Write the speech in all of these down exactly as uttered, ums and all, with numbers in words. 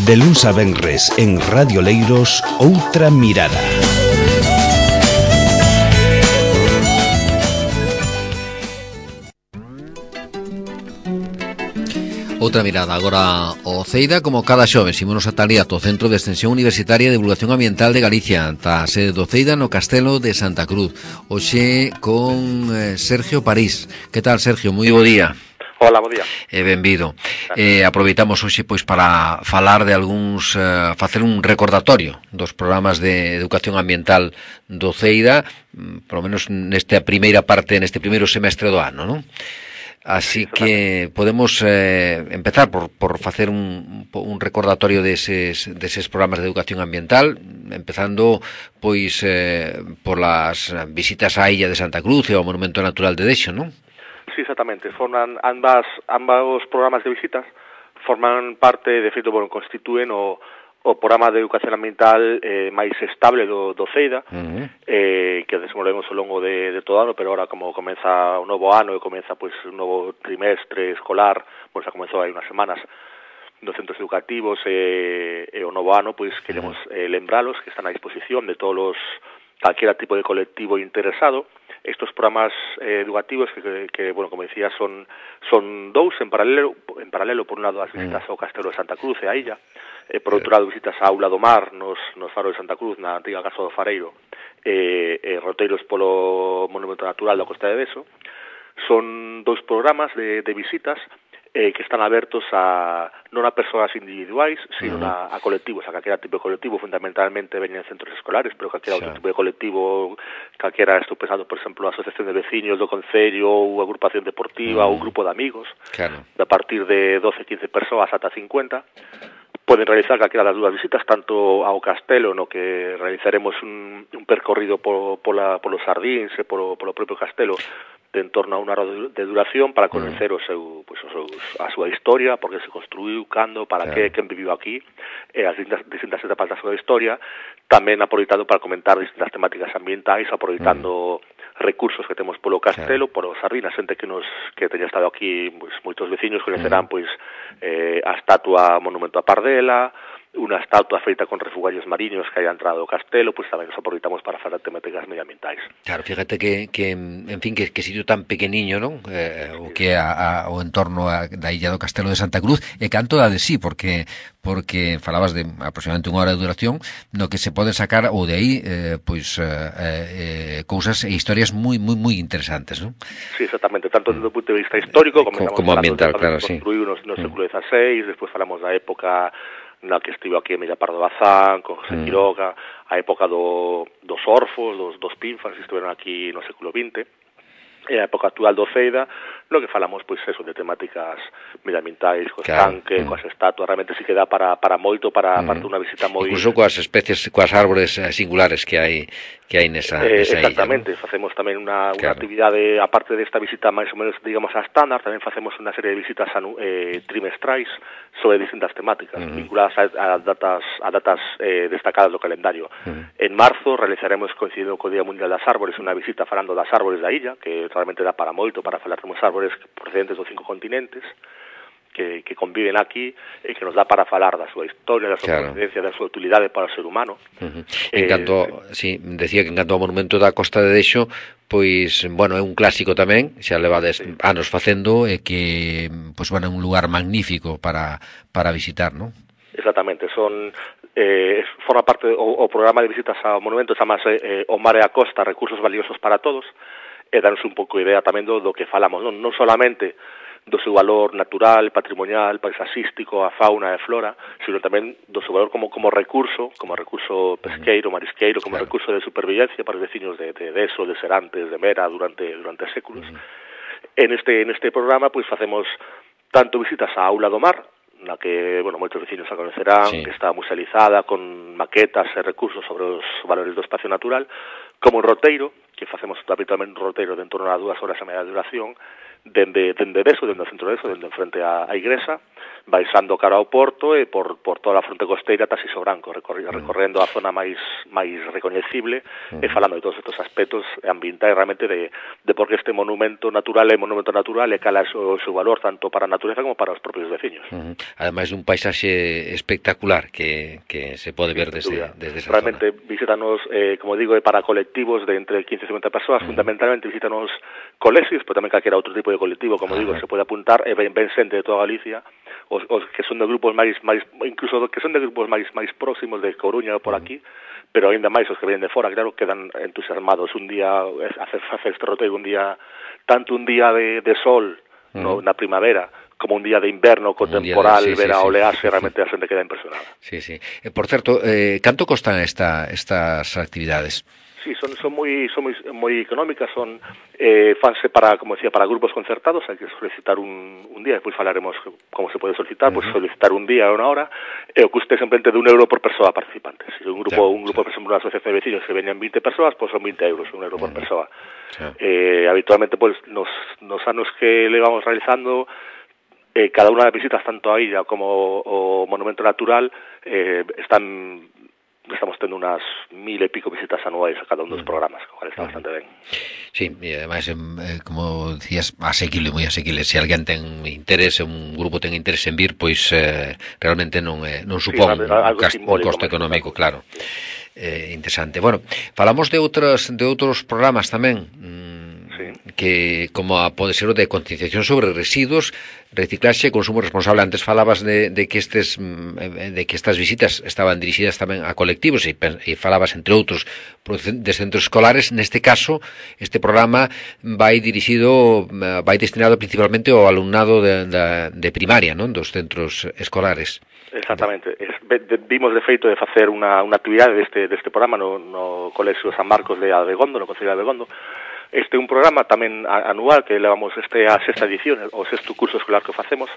De luns a venres en Radio Leiros, Outra Mirada. Outra mirada agora ao Ceida, como cada xoves, ímonos ata ali ata o Centro de Extensión Universitaria de Divulgación Ambiental de Galicia, ata a sede do Ceida no Castelo de Santa Cruz. Hoxe con eh, Sergio París. Que tal, Sergio? Moi bo día. Hola, bo día. E benvido. Eh, aproveitamos hoxe pois para falar de algúns, eh, facer un recordatorio dos programas de educación ambiental do Ceida, polo menos nesta primeira parte, neste primeiro semestre do ano, non? Así que podemos eh, empezar por, por facer un, un recordatorio deses, deses programas de educación ambiental, empezando pois eh, por las visitas á illa de Santa Cruz e ao Monumento Natural de Dexo, non? Sí, exactamente. Forman ambas, ambos programas de visitas forman parte, de feito, bueno, constituen o o programa de educación ambiental eh, máis estable do, do Ceida, uh-huh. eh, que desenvolvemos ao longo de, de todo o ano, pero ahora como comeza o novo ano e comeza pois un novo trimestre escolar, pois xa comezou hai unhas semanas nos centros educativos e, e o novo ano, pois queremos eh, lembralos que están a disposición de todos os, calquera tipo de colectivo interesado. Estos programas eh, educativos que, que, que, bueno, como decía, son son dous en paralelo, en paralelo por un lado as visitas ao Castelo de Santa Cruz e a illa, e por outro lado visitas á Aula do Mar nos, nos faros de Santa Cruz, na antiga Casa do Fareiro, e, e roteiros polo Monumento Natural da Costa de Deso. Son dous programas de, de visitas eh, que están abertos a non a persoas individuais, sino uh-huh. a, a colectivos, a calquera tipo de colectivo, fundamentalmente veñen centros escolares, pero calquera sí. outro tipo de colectivo, calquera, estou pensando, por exemplo, a asociación de veciños do concello, ou agrupación deportiva, uh-huh. ou grupo de amigos, claro. de a partir de doce, quince persoas ata cincuenta, poden realizar calquera das dúas visitas, tanto ao castelo, no que realizaremos un, un percorrido por, pola, polos sardíns e polo, polo propio castelo, de en torno a unha hora de duración para conocer o seu, pues, o seus, a súa historia, porque se construiu, cando, para claro. que, quen viviu aquí, e as distintas, distintas etapas da súa historia, tamén aproveitando para comentar distintas temáticas ambientais, aproveitando mm. recursos que temos polo castelo, claro. polo sardín, a xente que nos que teña estado aquí, pues, moitos veciños coñecerán mm. pois eh, a estatua Monumento a Pardela, unha estatua feita con refugarios mariños que haya entrado ao castelo, pois tamén nos aproveitamos para falar temáticas medioambientais. Claro, fíjate que, que en fin, que, que sitio tan pequeniño, non? Eh, o que a, a, o entorno a, da illa do Castelo de Santa Cruz, e canto da de sí, porque porque falabas de aproximadamente unha hora de duración, no que se poden sacar ou de aí eh, pois eh, eh, cousas e historias moi moi moi interesantes, non? Sí, exactamente, tanto desde o punto de vista histórico, como, como, como ambiental, claro, sí. Construíu no, no século dieciséis, despois falamos da época na que estivo aquí Emilia Pardo Bazán, con José mm. Quiroga, a época do, dos orfos, dos, dos pinfas, que estiveron aquí no século vinte, e a época actual do Ceida, no que falamos, pois, eso, de temáticas medioambientais, co claro. estanque, mm. coas estatuas, realmente si que dá para, para moito, para, mm. para unha visita moi... Incluso coas especies, coas árbores singulares que hai que hai nesa, eh, nesa exactamente, illa, ¿no? Facemos tamén unha, claro. unha actividade, aparte desta visita máis ou menos, digamos, a estándar, tamén facemos unha serie de visitas anu, eh, trimestrais sobre distintas temáticas, uh-huh. vinculadas a, a datas, a datas eh, destacadas do calendario. Uh-huh. En marzo realizaremos, coincidindo co Día Mundial das Árbores, unha visita falando das árbores da illa, que realmente dá para moito, para falar de uns árbores procedentes dos cinco continentes, que, que conviven aquí e que nos dá para falar da súa historia, da súa claro. procedencia, da súa utilidade para o ser humano. Uh-huh. En canto, eh, sí, decía que en canto ao monumento da Costa de Dexo, pois, bueno, é un clásico tamén, xa levades sí. anos facendo, e que, pois, bueno, é un lugar magnífico para, para visitar, non? Exactamente, son... Eh, forma parte, o, o programa de visitas ao monumento chamase eh, O Mar e a Costa, recursos valiosos para todos, e danos un pouco idea tamén do, do que falamos, non, non solamente do seu valor natural, patrimonial, paisaxístico, a fauna e a flora, sino tamén do seu valor como, como recurso, como recurso pesqueiro, marisqueiro, como claro. recurso de supervivencia para os veciños de, de Deso, de Serantes, de Mera, durante durante séculos. Uh-huh. En este en este programa, pois, facemos tanto visitas á Aula do Mar, na que, bueno, moitos veciños a conocerán, sí. que está musealizada, con maquetas e recursos sobre os valores do espacio natural, como un roteiro, que facemos habitualmente un roteiro de en torno a dúas horas e media de duración, dende, dende Deso, dende o centro de Deso, dende frente á, á igrexa, baixando cara ao porto e por, por toda a fronte costeira ata Siso Branco, recorrendo, recorrendo a zona máis máis recoñecible uh-huh. e falando de todos estes aspectos ambientais realmente de, de por que este monumento natural é monumento natural e cala o seu valor tanto para a natureza como para os propios veciños. Uh-huh. Ademais un paisaxe espectacular que, que se pode ver desde, desde esa realmente zona. Visítanos, eh, como digo, para colectivos de entre quince e cincuenta persoas, uh-huh. fundamentalmente visítanos colexios, pero tamén calquera outro tipo de colectivo, como uh-huh. digo, se pode apuntar e ven, ven xente de toda Galicia, os, os que son de grupos máis, máis incluso que son de grupos máis máis próximos de Coruña ou por uh-huh. aquí, pero ainda máis os que vienen de fora, claro, quedan entusiasmados un día, hacer, hacer este roteiro un día, tanto un día de, de sol, uh-huh. no, na primavera, como un día de inverno co temporal, de, sí, ver a sí, olearse, sí, realmente sí. a xente queda impresionada. Sí, sí. Eh, por certo, eh, canto costan esta, estas actividades? Sí, son son moi son moi, moi económicas, son eh, fanse para, como decía, para grupos concertados, hai que solicitar un, un día, despois falaremos como se pode solicitar, uh-huh. pois solicitar un día ou unha hora, e o custe simplemente de un euro por persoa participante. Se un grupo, ya, un grupo, ya. por exemplo, unha asociación de vecinos que veñan vinte persoas, pois son vinte euros, un euro uh-huh. por persoa. Ya. Eh, habitualmente, pois, nos, nos anos que le vamos realizando, eh, cada unha das visitas, tanto a illa como o monumento natural, eh, están... estamos tendo unas mil e pico visitas anuais a cada un dos programas, o cual está bastante ben. Sí, e ademais, eh, como decías, asequible, moi asequible. Se alguén ten interés, un grupo ten interés en vir, pois eh, realmente non eh, non supón sí, un, cast, un costo económico, claro. Eh, interesante. Bueno, falamos de outros de outros programas tamén, que como a, pode ser o de concienciación sobre residuos, reciclaxe e consumo responsable. Antes falabas de, de que estes de que estas visitas estaban dirixidas tamén a colectivos e, e falabas entre outros de centros escolares. Neste caso, este programa vai dirixido, vai destinado principalmente ao alumnado de, de, de primaria, non, dos centros escolares. Exactamente. Es, de, vimos de feito de facer unha, unha actividade deste, deste programa no, no Colexio San Marcos de Abegondo, no Concello de Abegondo. Este é un programa tamén anual que levamos este a sexta edición, o sexto curso escolar que facemos.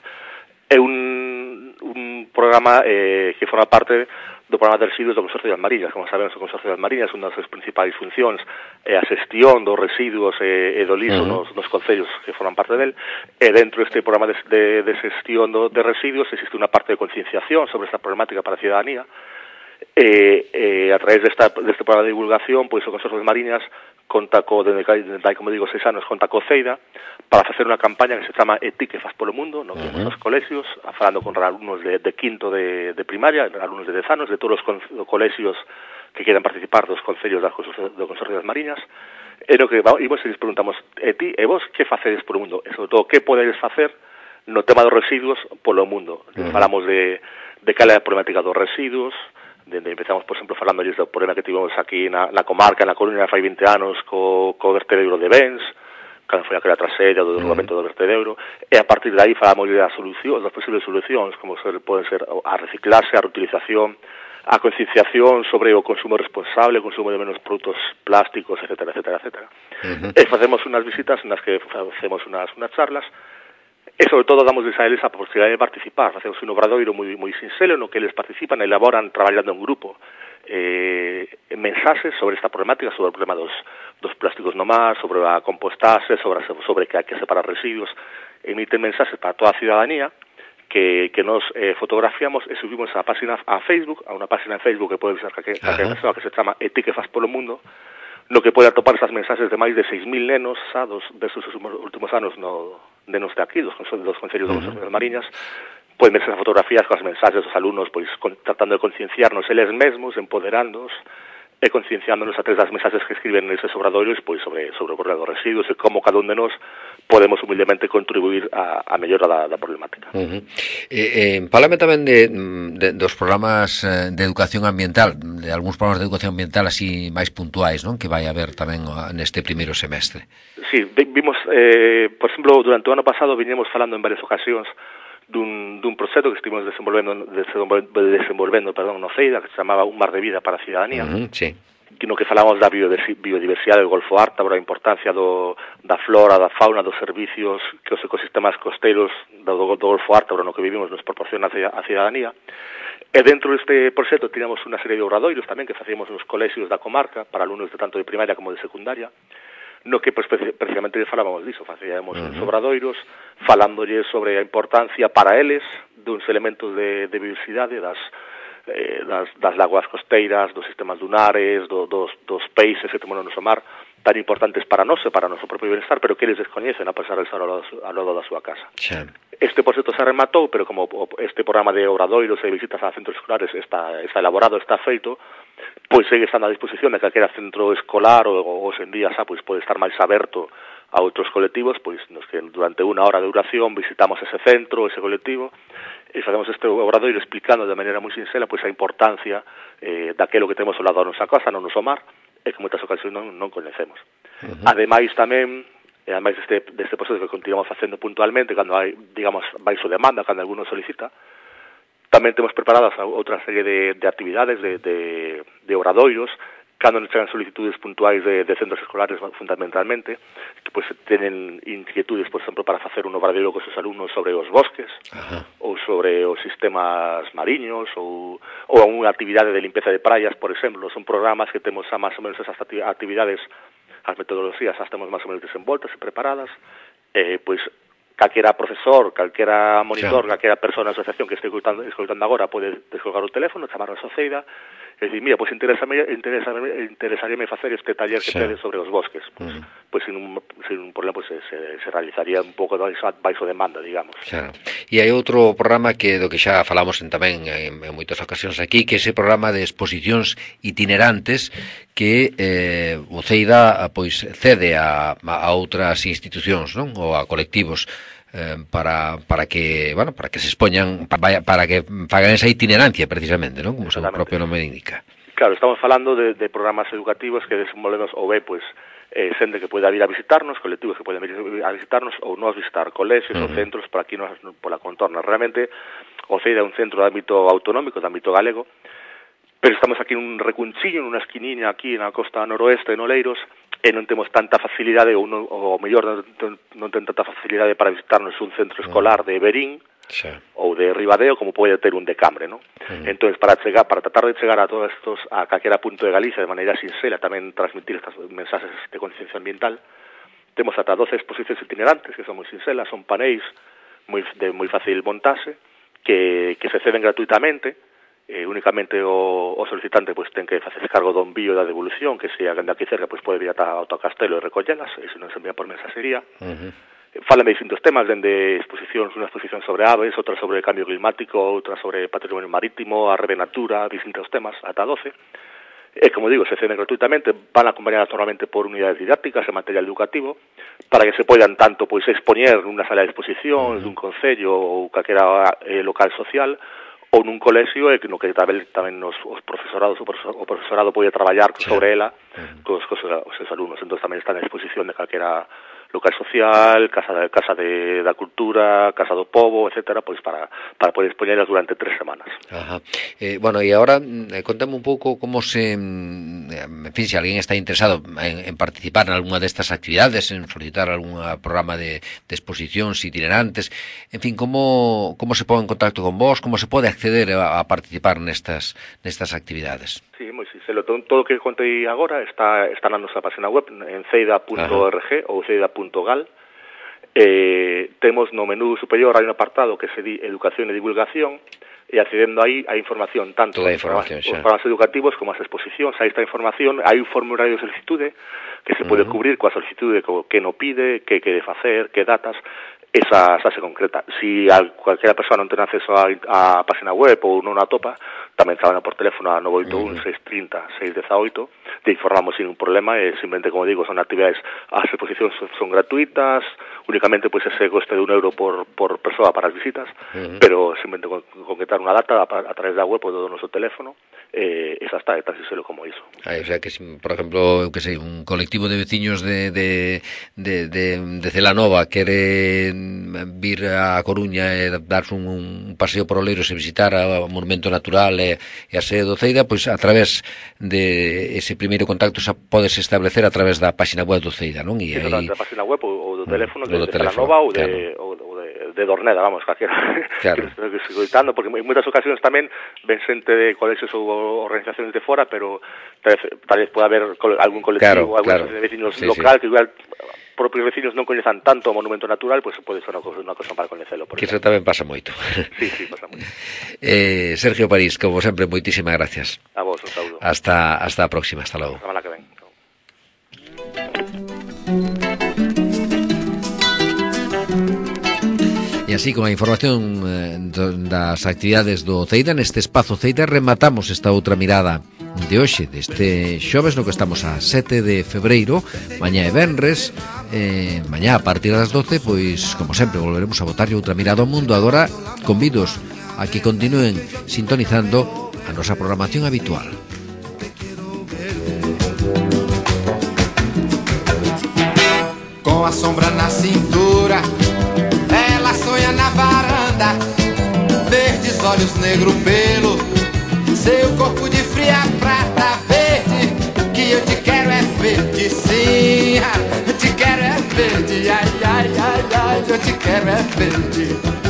É un, un programa eh, que forma parte do programa de residuos do Consorcio das Mariñas. Como sabemos, o Consorcio das Mariñas, unha das súas principais funcións é a xestión dos residuos e, e do lixo uh-huh. nos, nos concellos que forman parte del. E dentro deste programa de, de, de xestión do, de residuos existe unha parte de concienciación sobre esta problemática para a ciudadanía. E, e a través desta, deste programa de divulgación, pois o Consorcio das Mariñas conta co, dende hai, como digo, seis anos, conta co CEIDA para facer unha campaña que se chama E ti que fas polo mundo, no que uh-huh. nos colexios, falando con alumnos de, de quinto de, de primaria, alumnos de dez anos, de todos os colexios que quieran participar dos concellos do Consorcio das Mariñas, e no que imos e les preguntamos, e ti, e vos, que facedes polo mundo? E sobre todo, que podedes facer no tema dos residuos polo mundo? Uh-huh. Falamos de, de cal é a problemática dos residuos, Dende empezamos, por exemplo, falando do problema que tivemos aquí na, na comarca, na Coruña, fai vinte anos, co, co vertedero de bens, cando foi aquela traxedia do derrubamento do vertedero, e a partir de aí falamos das solucións, das posibles solucións, como ser, poden ser a reciclarse, a reutilización, a concienciación sobre o consumo responsable, o consumo de menos produtos plásticos, etcétera, etcétera, etcétera. Uh-huh. E facemos unhas visitas nas que facemos unhas, unhas charlas, e sobre todo damos a eles a posibilidade de participar. Facemos un obradoiro moi, moi sinxelo no que eles participan, elaboran traballando en grupo eh, mensaxes sobre esta problemática, sobre o problema dos, dos plásticos no mar, sobre a compostaxe, sobre, sobre que hai que separar residuos, emiten mensaxes para toda a ciudadanía que, que nos eh, fotografiamos e subimos a página a Facebook, a unha página en Facebook que pode ser que, que, que, que se chama E ti que fas polo mundo, no que pode atopar esas mensaxes de máis de seis mil nenos xa dos, destes últimos anos no, nenos de aquí, dos, dos concellos do Consorcio das Mariñas, poden verse as fotografías con as mensaxes dos alumnos, pois con, tratando de concienciarnos eles mesmos, empoderándonos e concienciándonos a través das mensaxes que escriben neses obradoiros, pois sobre, sobre o problema dos residuos e como cada un de nós podemos humildemente contribuir a, a mellora da, da problemática. Uh-huh. Eh, eh, Fálame tamén de, de, dos programas de educación ambiental, de algúns programas de educación ambiental así máis puntuais, non? Que vai haber tamén neste primeiro semestre. Sí, vimos, eh, por exemplo, durante o ano pasado viñemos falando en varias ocasións dun, dun proxecto que estivemos desenvolvendo, desenvolvendo perdón, no CEIDA, que se chamaba Un mar de vida para a ciudadanía, uh-huh, sí. no que falamos da biodiversidade do Golfo Ártabro, a importancia do, da flora, da fauna, dos servicios que os ecosistemas costeiros do, do, do Golfo Ártabro no que vivimos nos proporciona a ciudadanía. E dentro deste proxecto tiramos unha serie de obradoiros tamén que facíamos nos colexios da comarca para alumnos de tanto de primaria como de secundaria, no que pues, precisamente falábamos diso, facíamos uh -huh. uns obradoiros falándolles sobre a importancia para eles duns elementos de, de biodiversidade das, eh, das, das lagoas costeiras, dos sistemas dunares, do, dos, dos peixes que temos no noso mar, tan importantes para nós e para o noso propio bienestar, pero que eles descoñecen a pesar de estar ao lado, ao lado da súa casa. Sí. Este, por cierto, se rematou, pero como este programa de obradoiros e visitas a centros escolares está, está elaborado, está feito, pois segue estando a disposición de calquera centro escolar ou, ou hoxe en día xa, pois pode estar máis aberto a outros colectivos, pois nos que durante unha hora de duración visitamos ese centro, ese colectivo, e facemos este obradoiro explicando de maneira moi sinxela pois a importancia eh, daquelo que temos ao lado da nosa casa, no noso mar, e que moitas ocasións non, non coñecemos. Uh -huh. Ademais tamén, e ademais deste, deste proceso que continuamos facendo puntualmente, cando hai, digamos, baixo demanda, cando alguno solicita, tamén temos preparadas outra serie de, de actividades, de, de, de obradoiros, cando nos chegan solicitudes puntuais de, de centros escolares fundamentalmente, que pues, tenen inquietudes, por exemplo, para facer un obradoiro con os alumnos sobre os bosques, Ajá. ou sobre os sistemas mariños, ou, ou unha actividade de limpeza de praias, por exemplo. Son programas que temos a máis ou menos esas actividades, as metodoloxías as temos máis ou menos desenvoltas e preparadas, eh, pois calquera profesor, calquera monitor, claro. calquera persona da asociación que este escoitando, escoitando agora pode descolgar o teléfono, chamar a Soceida e dicir, mira, pois pues interesame, interesame, interesaríame facer este taller que sí. tedes sobre os bosques. Pois, pues, uh -huh. pues, sin, un, sin un problema pues, se, se realizaría un pouco de baixo demanda, digamos. Claro. E hai outro programa que do que xa falamos en, tamén en, en moitas ocasións aquí, que é ese programa de exposicións itinerantes que eh, o Ceida pois cede a, a outras institucións, non? Ou a colectivos eh, para para que, bueno, para que se expoñan, para, para que fagan esa itinerancia precisamente, non? Como o seu propio nome indica. Claro, estamos falando de, de programas educativos que desenvolvemos ou ben, pois, eh, xente que poida vir a visitarnos, colectivos que poden vir a visitarnos ou nos visitar colexios uh -huh. ou centros por aquí nos, pola contorna. Realmente, o Ceida é un centro de ámbito autonómico, de ámbito galego, pero estamos aquí nun recunchiño, nunha esquiniña aquí na costa noroeste, en Oleiros, e non temos tanta facilidade, ou, non, ou mellor non, non ten tanta facilidade para visitarnos un centro escolar de Berín, sí. ou de Ribadeo, como pode ter un de Cambre, non? Uh -huh. Entón, para chegar, para tratar de chegar a todos estos, a calquera punto de Galicia, de maneira sinxela, tamén transmitir estas mensaxes de conciencia ambiental, temos ata doce exposicións itinerantes, que son moi sinxelas, son paneis moi, de moi fácil montaxe, que, que se ceden gratuitamente, eh, únicamente o, o solicitante pues, ten que facer cargo do envío da devolución, que se hagan de aquí cerca, pues, pode vir ata ao Castelo e recollelas, e se non se envía por mensaxería. Uh -huh. Falan de distintos temas, dende exposicións, unha exposición sobre aves, outra sobre cambio climático, outra sobre patrimonio marítimo, a revenatura, distintos temas, ata doce. E, como digo, se ceden gratuitamente, van acompañadas normalmente por unidades didácticas e material educativo, para que se poidan tanto pois expoñer nunha sala de exposición, uh -huh. dun concello ou calquera eh, local social, ou nun colexio, e no que tamén, tamén os, os profesorados, o, profesor, o profesorado pode traballar sí. sobre ela uh -huh. cos, cos, os seus alumnos. Entón tamén está na disposición de calquera local social, casa de, casa de da cultura, casa do pobo, etcétera, pois para para poder expoñelas durante tres semanas. Ajá. Eh, bueno, e agora eh, contame un pouco como se, en fin, se alguén está interesado en, en participar en algunha destas actividades, en solicitar algún programa de, de exposicións itinerantes, en fin, como como se pone en contacto con vos, como se pode acceder a, a participar nestas nestas actividades? Sí, moi sinxelo, todo, todo o que contei agora está está na nosa página web en ceida punto org ou ceida punto gal. Eh, temos no menú superior hai un apartado que se di Educación e Divulgación, e accedendo aí a información tanto dos programas, programas educativos como as exposicións. Aí está a información, hai un formulario de solicitude que se pode uh -huh. cubrir coa solicitude que no pide, que quede facer, que datas. Esa, esa se concreta. Si a cualquiera persona non ten acceso a, a página web ou non a topa, tamén traballan por teléfono a nove oito un, seis tres cero, seis uno oito, te informamos sin un problema, e simplemente, como digo, son actividades, as exposicións son, son gratuitas, únicamente pois pues, ese coste de un euro por, por persoa para as visitas, uh -huh. pero simplemente con, concretar unha data a, a través da web ou do noso teléfono, eh, esa está, é tan sincero como iso. Ah, o sea que, si, por exemplo, eu que sei, un colectivo de veciños de, de, de, de, de Celanova quere vir a Coruña e darse un, un paseo por Oleiros e visitar o monumento natural e, e a sede do Ceida, pois a través de ese primeiro contacto xa podes establecer a través da página web do Ceida, non? E aí... da página web ou, ou do teléfono, mm, de, de Celanova ou de, claro. ou, ou de, de Dorneda, vamos, calquera claro. que que se coitando, porque en moitas ocasións tamén ven xente de colexios ou organizacións de fora, pero tal vez, tal vez pode haber algún colectivo, claro, algún claro. de vecinos sí, local sí. que igual propios vecinos non coñezan tanto o monumento natural, pois pues pode ser unha cosa, unha cosa para coñecelo. Que iso tamén pasa moito. Sí, sí, pasa moito. eh, Sergio París, como sempre, moitísimas gracias. A vos, un saúdo. Hasta, hasta a próxima, hasta logo. A semana que ven. E así, con a información eh, das actividades do Ceida, neste espazo Ceida, rematamos esta outra mirada de hoxe, deste xoves, no que estamos a sete de febreiro, mañá e venres, eh, mañá a partir das doce, pois, como sempre, volveremos a botarlle outra mirada ao mundo. Agora, convidos a que continúen sintonizando a nosa programación habitual. Com a sombra na cintura, ela sonha na varanda, verdes olhos, negro pelo, seu corpo de fria prata verde, que eu te quero é verde, sim, eu te quero é verde, ai, ai, ai, ai, eu te quero é verde.